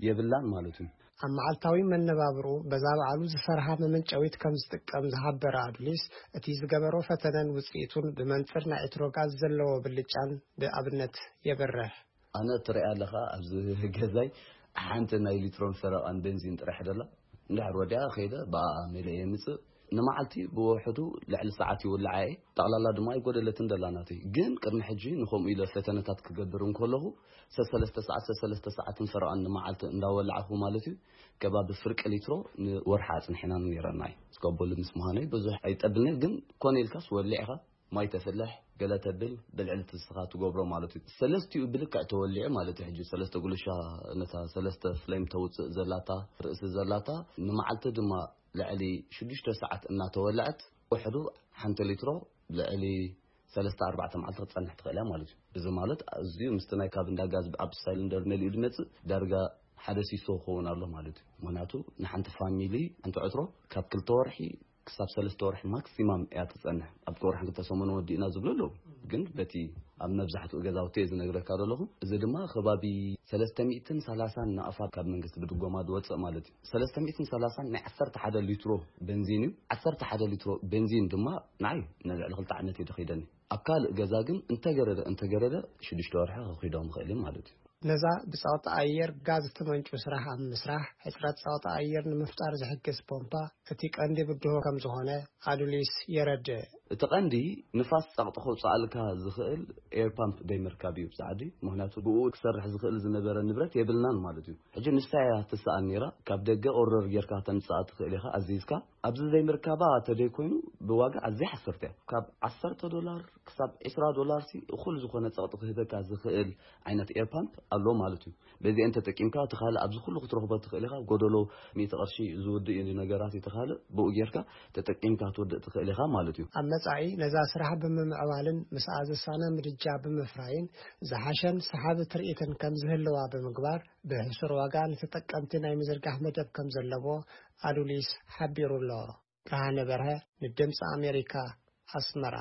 የብላን ማለት እዩ። ኣብ መዓልታዊ መነባብርኡ በዛ በዓሉ ዝሰርሓ መመንጨዊት ከም ዝጥቀም ዝሓበረ ኣዱሊስ፣ እቲ ዝገበሮ ፈተነን ውጽኢቱን ብመንጽር ናይ ኤትሮ ጋዝ ዘለዎ ብልጫን ብኣብነት የብርህ። ኣነ ትሪኣ ኣለኻ ኣብዚ ገዛይ ሓንቲ ናይ ሊትሮን ፈረቓን ቤንዚን ጥራሕ ደላ። እንድሕር ወዲኣ ከይደ ብኣኣ መሊአ የምጽእ። ንመዓልቲ ብውሕዱ ልዕሊ ሰዓት ይውልዓ እየ። ጠቕላላ ድማ ኣይጎደለትን ደላ ናተይ። ግን ቅድሚ ሕጂ ንኸምኡ ኢለ ፈተነታት ክገብር እንከለኹ ሰሰለስተ ሰዓት፣ ሰሰለስተ ሰዓትን ፈረቓን ንመዓልቲ እንዳወላዕኹ ማለት እዩ። ከባቢ ፍርቂ ሊትሮ ንወርሒ ኣጽኒሕና ነይረና እዩ። እስካብ ቦሊ ምስ ምዃነይ ብዙሕ ኣይጠብልኒ፣ ግን ኮነ ኢልካስ ወሊዕኻ ማይ ተፍልሕ፣ ገለ ተብል፣ ብልዕሊ ትስኻ ትገብሮ ማለት እዩ። ሰለስቲኡ ብልክዕ ተወሊዑ ማለት እዩ። ሕጂ ሰለስተ ጉልሻ ነታ ሰለስተ ፍሌም ተውፅእ ዘላታ ርእሲ ዘላታ ንመዓልቲ ድማ ልዕሊ ሽዱሽተ ሰዓት እናተወልዐት ውሕዱ ሓንቲ ሊትሮ ልዕሊ ሰለስተ ኣርባዕተ መዓልቲ ክትፀንሕ ትኽእል እያ ማለት እዩ። እዚ ማለት ኣዝዩ ምስቲ ናይ ካብ እንዳ ጋዝ ኣብ ሳይሊንደር መሊኡ ዝመፅእ ዳርጋ ሓደ ሲሶ ክኸውን ኣሎ ማለት እዩ። ምክንያቱ ንሓንቲ ፋሚሊ ሓንቲ ዕትሮ ካብ ክልተ ወርሒ ክሳብ ሰለስተ ወርሒ ማክሲማም እያ ትጸንሕ። ኣብ ወርሒ ክልተ ሰሙን ወዲእና ዝብሉ ኣለዉ። ግን በቲ ኣብ መብዛሕትኡ ገዛውቲ እየ ዝነግረካ ዘለኹ። እዚ ድማ ከባቢ ሰለስተ ሚእትን ሰላሳን ናቕፋ ካብ መንግስቲ ብድጎማ ዝወጽእ ማለት እዩ። ሰለስተ ሚእትን ሰላሳን ናይ ዓሰርተ ሓደ ሊትሮ ቤንዚን እዩ። ዓሰርተ ሓደ ሊትሮ ቤንዚን ድማ ንዓይ ንልዕሊ ክልተ ዓመት እዩ ደኺደኒ። ኣብ ካልእ ገዛ ግን እንተገረደ እንተገረደ ሽዱሽተ ወርሒ ከኺዶም ይኽእል እዩ ማለት እዩ። ነዛ ብጸቕጢ ኣየር ጋዝ እትመንጩ ስራሕ ኣብ ምስራሕ፣ ሕጽረት ጸቕጢ ኣየር ንምፍጣር ዝሕግዝ ፖምፓ እቲ ቀንዲ ብድሆ ከም ዝኾነ ኣዱሊስ የረድእ። እቲ ቀንዲ ንፋስ ጸቕጢ ከውጽኣልካ ዝኽእል ኤር ፓምፕ ደይምርካብ እዩ ብጻዕዲ። ምኽንያቱ ብኡ ክሰርሕ ዝኽእል ዝነበረ ንብረት የብልናን ማለት እዩ። ሕጂ ንሳ እያ ትስኣን ነይራ። ካብ ደገ ኦርደር ጌርካ ተምጽኣ ትኽእል ኢኻ ኣዚዝካ። ኣብዚ ዘይምርካባ ተደይኮይኑ ብዋጋ ኣዝያ ሓሰርቲ እያ። ካብ ዓሰርተ ዶላር ክሳብ ዕስራ ዶላር ሲ እኹል ዝኾነ ጸቕጢ ክህበካ ዝኽእል ዓይነት ኤር ፓምፕ ኣሎ ማለት እዩ። በዚአን ተጠቂምካ እቲ ካልእ ኣብዚ ኩሉ ክትረኽቦ ትኽእል ኢኻ። ጎደሎ ሚእቲ ቅርሺ ዝውድእ እዩ ነገራት እቲ ካልእ ብኡ ጌርካ ተጠቂምካ ትውድእ ትኽእል ኢኻ ማለት እዩ። ኣብ መጻኢ ነዛ ስራሕ ብምምዕባልን ምስኣ ዝሳነ ምድጃ ብምፍራይን ዝሓሸን ሰሓቢ ትርኢትን ከም ዝህልዋ ብምግባር ብሕሱር ዋጋ ንተጠቀምቲ ናይ ምዝርጋሕ መደብ ከም ዘለዎ ኣዱሊስ ሓቢሩ ኣሎ። ብርሃነ በርሀ ንድምፂ ኣሜሪካ ኣስመራ።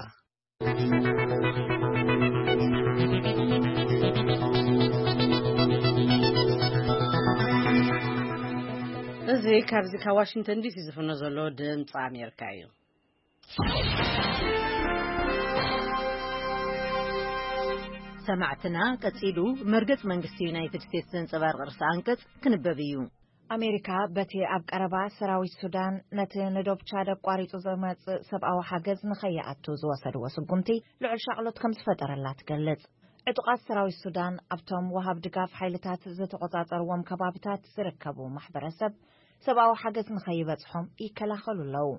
እዚ ካብዚ ካብ ዋሽንግተን ዲሲ ዝፍኖ ዘሎ ድምፂ ኣሜሪካ እዩ። ሰማዕትና ቀጺሉ መርገጽ መንግስቲ ዩናይትድ ስቴትስ ዘንጸባርቕ ርእሰ ኣንቀጽ ክንበብ እዩ። ኣሜሪካ በቲ ኣብ ቀረባ ሰራዊት ሱዳን ነቲ ንዶብ ቻድ ኣቋሪጹ ዝመጽእ ሰብኣዊ ሓገዝ ንኸይኣቱ ዝወሰድዎ ስጉምቲ ልዑል ሻቕሎት ከም ዝፈጠረላ ትገልጽ። ዕጡቓት ሰራዊት ሱዳን ኣብቶም ወሃብ ድጋፍ ሓይልታት ዝተቖጻጸርዎም ከባብታት ዝርከቡ ማሕበረሰብ ሰብኣዊ ሓገዝ ንኸይበጽሖም ይከላኸሉ ኣለዉ።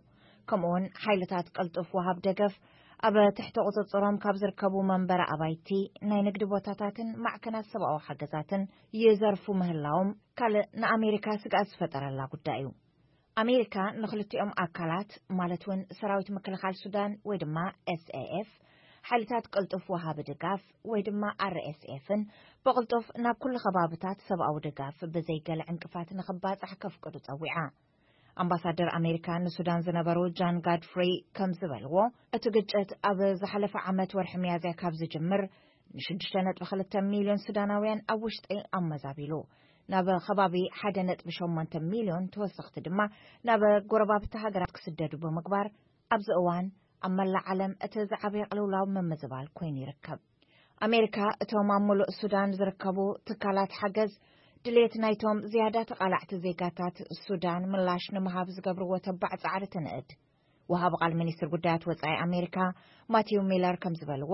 ከምኡውን ሓይልታት ቅልጡፍ ወሃብ ደገፍ ኣብ ትሕቲ ቁጽጽሮም ካብ ዝርከቡ መንበሪ ኣባይቲ ናይ ንግዲ ቦታታትን ማዕከናት ሰብኣዊ ሓገዛትን ይዘርፉ ምህላዎም ካልእ ንኣሜሪካ ስግኣት ዝፈጠረላ ጉዳይ እዩ። ኣሜሪካ ንኽልቲኦም ኣካላት ማለት እውን ሰራዊት ምክልኻል ሱዳን ወይ ድማ ኤስኤኤፍ፣ ሓይልታት ቅልጡፍ ወሃቢ ድጋፍ ወይ ድማ ኣርኤስኤፍን ብቕልጡፍ ናብ ኩሉ ከባብታት ሰብኣዊ ድጋፍ ብዘይ ገለ ዕንቅፋት ንኽባጻሕ ከፍቅዱ ጸዊዓ። ኣምባሳደር ኣሜሪካ ንሱዳን ዝነበሩ ጃን ጋድፍሪ ከም ዝበልዎ፣ እቲ ግጭት ኣብ ዝሓለፈ ዓመት ወርሒ ሚያዝያ ካብ ዝጅምር ንሽዱሽተ ነጥቢ ክልተ ሚልዮን ሱዳናውያን ኣብ ውሽጢ ኣመዛቢሉ፣ ናብ ከባቢ ሓደ ነጥቢ ሸሞንተ ሚልዮን ተወሰኽቲ ድማ ናብ ጎረባብቲ ሃገራት ክስደዱ ብምግባር ኣብዚ እዋን ኣብ መላእ ዓለም እቲ ዝዓበየ ቅልውላው ምምዝባል ኮይኑ ይርከብ። ኣሜሪካ እቶም ኣብ ምሉእ ሱዳን ዝርከቡ ትካላት ሓገዝ ድሌት ናይቶም ዝያዳ ተቓላዕቲ ዜጋታት ሱዳን ምላሽ ንምሃብ ዝገብርዎ ተባዕ ጻዕሪ ትንእድ። ወሃቢ ቃል ሚኒስትር ጉዳያት ወጻኢ ኣሜሪካ ማቲው ሚለር ከም ዝበልዎ፣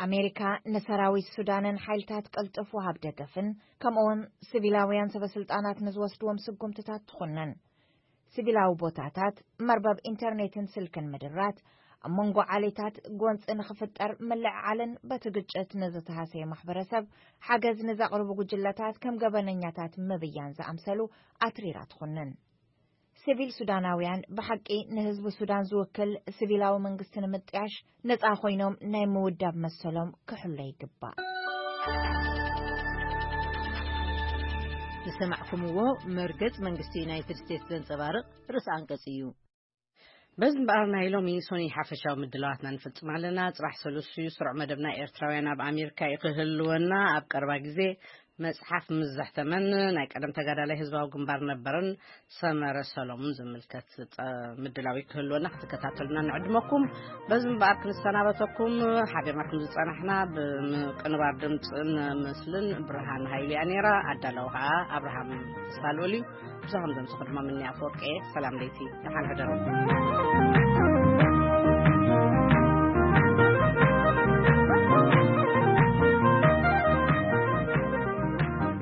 ኣሜሪካ ንሰራዊት ሱዳንን ሓይልታት ቅልጡፍ ወሃብ ደገፍን ከምኡውን ሲቪላውያን ሰበስልጣናት ንዝወስድዎም ስጉምትታት ትኹንን። ሲቪላዊ ቦታታት፣ መርበብ ኢንተርኔትን ስልክን ምድራት፣ ኣብ መንጎ ዓሌታት ጎንጺ ንኽፍጠር ምልዕዓልን በቲ ግጭት ንዝተሃሰየ ማሕበረሰብ ሓገዝ ንዘቕርቡ ጉጅለታት ከም ገበነኛታት ምብያን ዝኣምሰሉ ኣትሪራ ትኹንን። ሲቪል ሱዳናውያን ብሓቂ ንህዝቢ ሱዳን ዝውክል ሲቪላዊ መንግስቲ ንምጥያሽ ነጻ ኮይኖም ናይ ምውዳብ መሰሎም ክሕሎ ይግባእ። ዝሰማዕኩምዎ መርገጽ መንግስቲ ዩናይትድ ስቴትስ ዘንጸባርቕ ርእሰ ኣንቀጽ እዩ። በዚ እምበኣር ናይ ሎሚ ሶኒ ሓፈሻዊ ምድላዋትና ንፍጽም ኣለና። ጽባሕ ሰሉስ እዩ፣ ስሩዕ መደብና ኤርትራውያን ኣብ ኣሜሪካ እዩ ክህልወና። ኣብ ቀረባ ግዜ መጽሓፍ ምስ ዘሕተመን ናይ ቀደም ተጋዳላይ ህዝባዊ ግንባር ነበረን ሰመረ ሰሎሙን ዝምልከት ጸ-፣ ምድላዊ ክህልወና ክትከታተሉና ንዕድመኩም። በዚ እምበኣር ክንሰናበተኩም ሓቢርና ከም ዝጸናሕና ብምቅንባር ድምጽን ምስልን ብርሃን ሃይልያ ነይራ። ኣዳላዊ ከኣ ኣብርሃም ተስፋልኡል እዩ። ብዛኹም ዘምስኹ ድማ ምንያ ኣፈወርቂ እየ። ሰላም ለይቲ፣ ደሓን ሕደሩ።